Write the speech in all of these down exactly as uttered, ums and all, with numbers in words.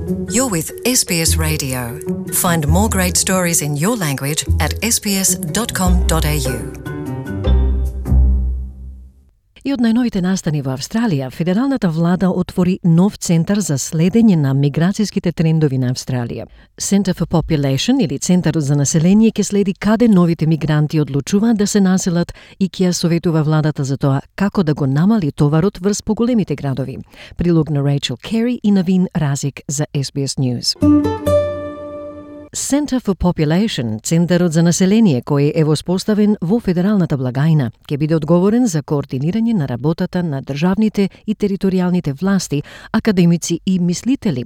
You're with S B S Radio. Find more great stories in your language at s b s dot com dot a u. И од најновите настани во Австралија, федералната влада отвори нов центар за следење на миграцијските трендови на Австралија. Center for Population, или Центарот за население, ќе следи каде новите мигранти одлучуваат да се населат и ќе ја советува владата за тоа како да го намали товарот врз поголемите градови. Прилог на Рейчел Кери и Навин Разик за S B S News. Center for Population, Центарот за население, кој е воспоставен во федералната благајна, ќе биде одговорен за координирање на работата на државните и територијалните власти, академици и мислители.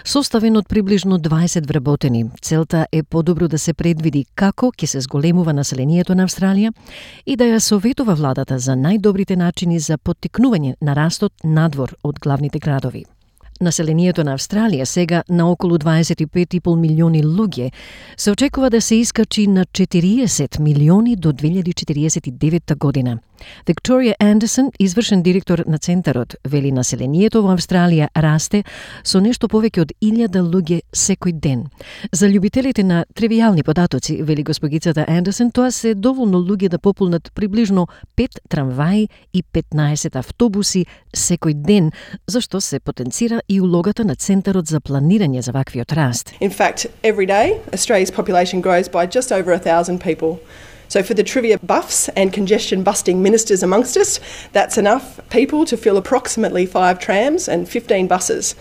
Составен од приближно дваесет вработени, целта е подобро да се предвиди како ќе се зголемува населението на Австралија и да ја советува владата за најдобрите начини за поттикнување на растот надвор од главните градови. Населението на Австралија сега на околу дваесет и пет и пол милиони луѓе се очекува да се искачи на четириесет милиони до две илјади четириесет и девета година. Викторија Андерсон, извршен директор на Центарот, вели населението во Австралија расте со нешто повеќе од илјада луѓе секој ден. За љубителите на тривијални податоци, вели госпогицата Андерсон, тоа се доволно луѓе да пополнат приближно пет трамваи и петнаесет автобуси секој ден, зашто се потенцира и улогата на Центарот за планирање за ваквиот раст. In fact, every day Australia's population grows by just over a thousand people. So for the trivia buffs and congestion busting ministers amongst us, that's enough people to fill approximately five trams and fifteen buses.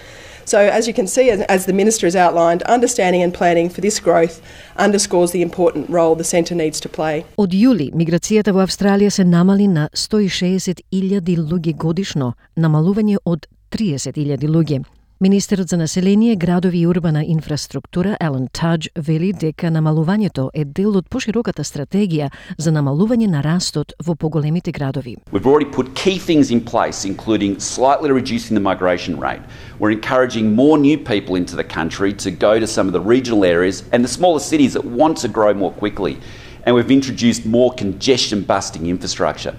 So as you can see, as the Minister has outlined, understanding and planning for this growth underscores the important role the Centre needs to play. Од јули, миграцијата во Австралија се намали на сто и шеесет илјади луѓе годишно, намалување од триесет илјади луѓе. Министерот за население, градови и урбана инфраструктура Алан Тадж вели дека намалувањето е дел од пошироката стратегија за намалување на растот во поголемите градови. We've already put key things in place, including slightly reducing the migration rate. We're encouraging more new people into the country to go to some of the regional areas and the smaller cities that want to grow more quickly. And we've introduced more congestion-busting infrastructure.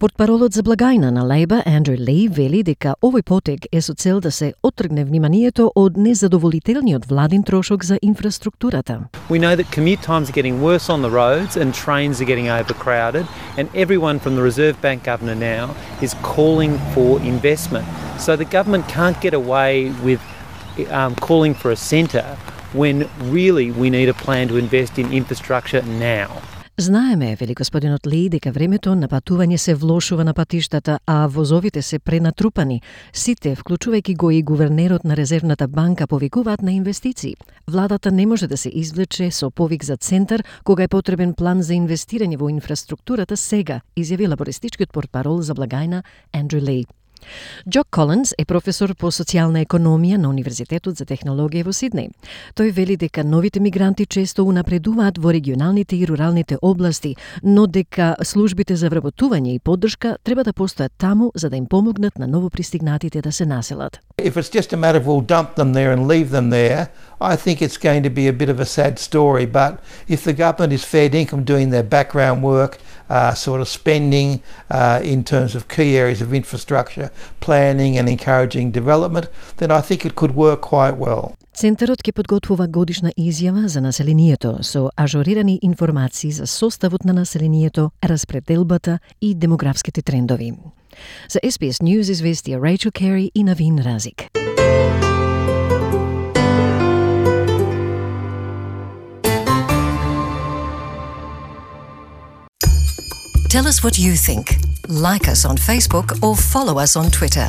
Портпаролот за благајна на Лейба, Андрю Ли, вели дека овој потек е со цел да се оттргне вниманието од незадоволителниот владин трошок за инфраструктурата. We know that commute times are getting worse on the roads and trains are getting overcrowded, and everyone from the Reserve Bank governor now is calling for investment. So the government can't get away with um, calling for a centre when really we need a plan to invest in infrastructure now. Знаеме, вели господинот Ли, дека времето на патување се влошува на патиштата, а возовите се пренатрупани. Сите, вклучувајќи го и гувернерот на Резервната банка, повикуваат на инвестиции. Владата не може да се извлече со повик за центар кога е потребен план за инвестирање во инфраструктурата сега, изјави лабористичкиот портпарол за благајна Андрю Ли. Джок Колинс е професор по социјална економија на Универзитетот за технологија во Сиднеј. Тој вели дека новите мигранти често унапредуваат во регионалните и руралните области, но дека службите за вработување и поддршка треба да постојат таму за да им помогнат на новопристигнатите да се населат. If it's just a matter of we'll dump them there and leave them there, I think it's going to be a bit of a sad story. But if the government is fair dinkum doing their background work, uh, sort of spending uh, in terms of key areas of infrastructure, planning and encouraging development, then I think it could work quite well. Центарот ќе подготвува годишна изјава за населението со ажурирани информации за составот на населението, распределбата и демографските трендови. За S B S News известија Рейчел Кери и Навин Разик. Tell us what you think. Like us on Facebook or follow us on Twitter.